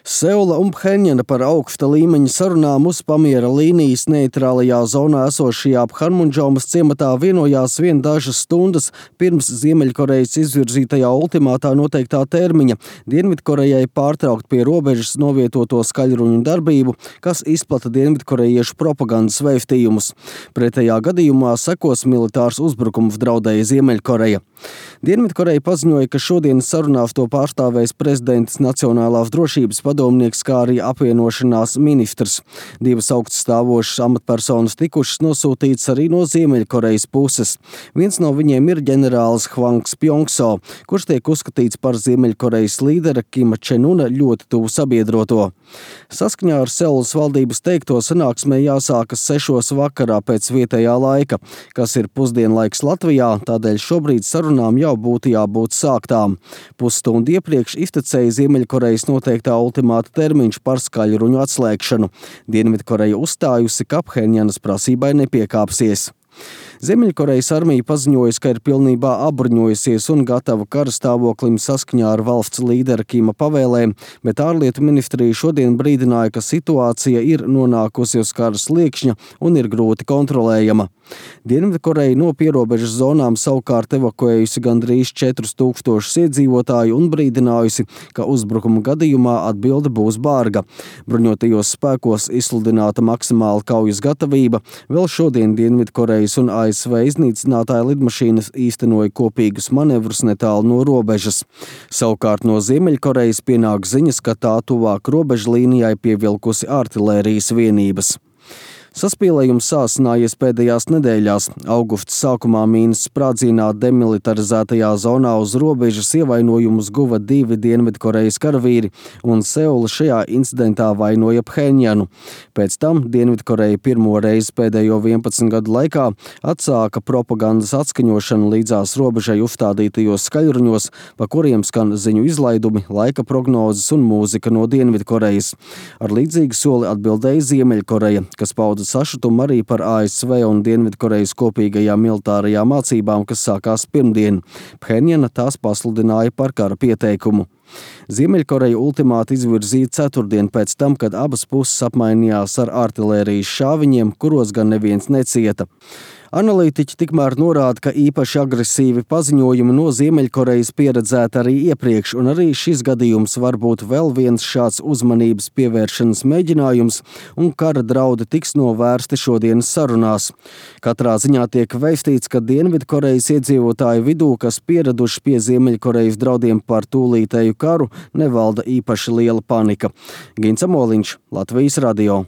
Seula un Phenjana par augsta līmeņa sarunām uz pamiera līnijas neitrālajā zonā esošajā Phanmunjomas ciematā vienojās vien dažas stundas pirms Ziemeļkorejas izvirzītajā ultimātā noteiktā termiņa Dienvidkorejai pārtraukt pie robežas novietoto skaļruņu darbību, kas izplata dienvidkorejiešu propagandas vēstījumus. Pretējā gadījumā sekos militārs uzbrukums, draudēja Ziemeļkoreja. Dienvidkoreja paziņoja, ka šodienas sarunās to pārstāvēs prezidents Nacionālās drošības padomnieks, kā arī apvienošanās ministrs. Divas augststāvošas amatpersonas tikušas nosūtītas arī no Ziemeļkorejas puses. Viens no viņiem ir ģenerālis Hvangs Pjongso, kurš tiek uzskatīts par Ziemeļkorejas līdera Kima Čenuna ļoti tuvu sabiedroto. Saskaņā ar Seulas valdības teikto sanāksmē jāsākas 6 vakarā pēc vietējā laika, kas ir pusdienlaiks Latvijā, tādēļ šobrīd sarunām jau būtu jābūt sāktām. Pusstundu iepriekš iztecēja Ziemeļkorejas noteiktā ultimāta termiņš par skaļruņu atslēgšanu. Dienvidkoreja uzstājusi, ka Phenjanas prasībai nepiekāpsies. Ziemeļkorejas armija paziņojusi, ka ir pilnībā apbruņojusies un gatava kara stāvoklim saskaņā ar valsts līdera Kima pavēlēm, bet ārlietu ministrija šodien brīdināja, ka situācija ir nonākusi uz kara sliekšņa un ir grūti kontrolējama. Dienvidkoreja no pierobežas zonām savukārt evakuējusi gandrīz 4000 iedzīvotāju un brīdinājusi, ka uzbrukuma gadījumā atbilde būs barga. Bruņotajos spēkos izsludināta maksimāla kaujas gatavība, vēl šodien Dienvidkorejas un ASV iznīcinātāja lidmašīnas īstenoja kopīgus manevrus netālu no robežas. Savukārt no Ziemeļkorejas pienāk ziņas, ka tā tuvāk robežlīnijai pievilkusi artilērijas vienības. Saspīlējums sāsinājies pēdējās nedēļās. Augusta sākumā mīnas sprādzienā demilitarizētajā zonā uz robežas ievainojumus guva 2 Dienvidkorejas karavīri, un Seula šajā incidentā vainoja Phenjanu. Pēc tam Dienvidkoreja pirmo reizi pēdējo 11 gadu laikā atsāka propagandas atskaņošanu līdzās robežai uzstādītajos skaļruņos, pa kuriem skan ziņu izlaidumi, laika prognozes un mūzika no Dienvidkorejas. Ar līdzīgu soli atbildēja Ziemeļkoreja, kas pauda sašutumu arī par ASV un Dienvidkorejas kopīgajām militārajām mācībām, kas sākās pirmdien. Phenjana tās pasludināja par kara pieteikumu. Ziemeļkoreja ultimātu izvirzīja ceturtdien pēc tam, kad abas puses apmainījās ar artilērijas šāviņiem, kuros gan neviens necieta. Analītiķi tikmēr norāda, ka īpaši agresīvi paziņojumi no Ziemeļkorejas pieredzēti arī iepriekš, un arī šis gadījums var būt vēl viens šāds uzmanības pievēršanas mēģinājums, un kara draudi tiks novērsti šodienas sarunās. Katrā ziņā tiek vēstīts, ka Dienvidkorejas iedzīvotāju vidū, kas pieraduši pie Ziemeļkorejas draudiem par tūlītēju karu, nevalda īpaši liela panika. Gins Amoliņš, Latvijas radio.